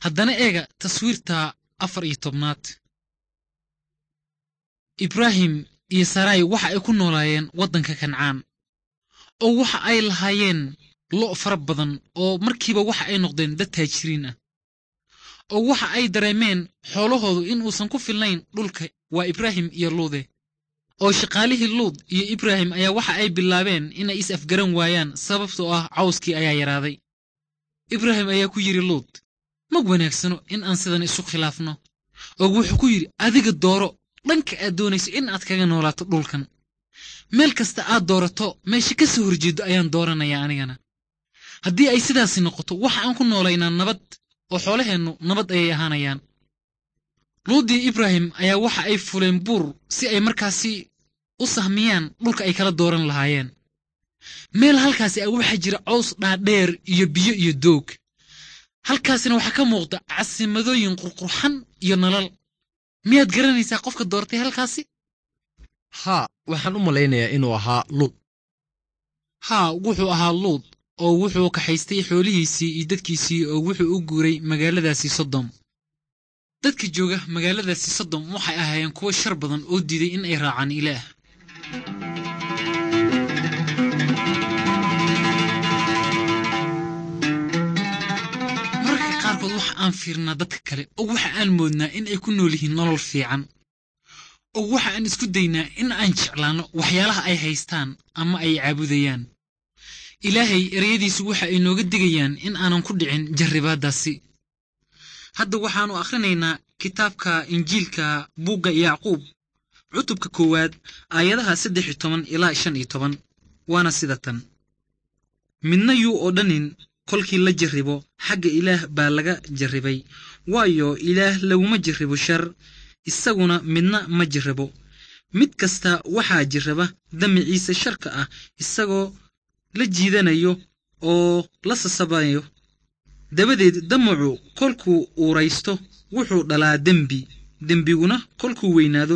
Haddana eega taswiirta 14aad. Ibraahim iyo Sarai waxa ay ku noolaayeen waddanka Kancaan, oo waxa ay lahaayeen lo' fara badan, oo markiiba waxa ay noqdeen dad taajiriin ah, oo waxa ay dareemeen xoolahoodu in uusan ku filnayn dhulka. Waa Ibraahim iyo Luude. Oo shaqaalihii Luud iyo Ibraahim ayaa waxa ay bilaabeen inay is afgaran waayaan, sababtoo ah cawskii ayaa yaraaday. Ibraahim ayaa ku yidhi Luud, ma wanaagsano in aan sidan isu khilaafno. Oo wuxuu ku yidhi, adiga dooro dhanka aad doonayso in aad kaga noolaato dhulkan. Meel kasta aad doorato, meesha ka soo horjeeddo ayaan dooranayaa anigana. Haddii ay sidaasi noqoto, waxa aan ku noolaynaa nabad, oo xoolaheennu nabad ayay ahaanayaan. Luud iyo Ibraahim ayaa waxa ay fuleen buur si ay markaasi u sahmiyaan dhulka ay kala dooran lahaayeen. Meel halkaasi ah waxaa jira caws dhaadheer iyo biyo iyo doog. Halkaasina waxaa ka muuqda casimadooyin qurqurxan iyo nalal. Miyaad garanaysaa qofka doortay halkaasi? Haa, waxaan u malaynayaa inuu ahaa Luud. Haa, wuxuu ahaa Luud, oo wuxuu kaxaystay xoolihiisii iyo dadkiisii, oo wuxuu u guuray magaaladaasi Sodom. Dadka jooga magaaladaasi Sodom waxay ahaayeen kuwo shar badan oo diiday in ay raacaan Ilaah. Mararka qaarkood waxa aan fiirnaa dadka kale, oo waxa aan moodnaa in ay ku nool yihiin nolol fiican, oo waxa aan isku daynaa in aan jeclaanno waxyaalaha ay haystaan ama ay caabudayaan. Ilaahay ereyadiisu waxa ay nooga digayaan in aanan ku dhicin jarribaaddaasi. Hadda waxaannu akhrinaynaa kitaabka Injiilka buugga Yacquub, cutubka 1aad, aayadaha 13 ilaa 15, waana sida tan. Midna yuu odhanin kolkii la jarribo, xagga Ilaah baa laga jarribay, waayo Ilaah laguma jarribo shar, isaguna midna ma jarribo. Mid kasta waxaa jirraba damiciisa sharka ah, isagoo la jiidanayo oo la sasabayo. Dabadeed damacu kolkuu uuraysto wuxuu dhalaa dembi, dembiguna kolkuu weynaado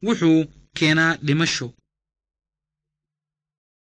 wuxuu keenaa dhimasho.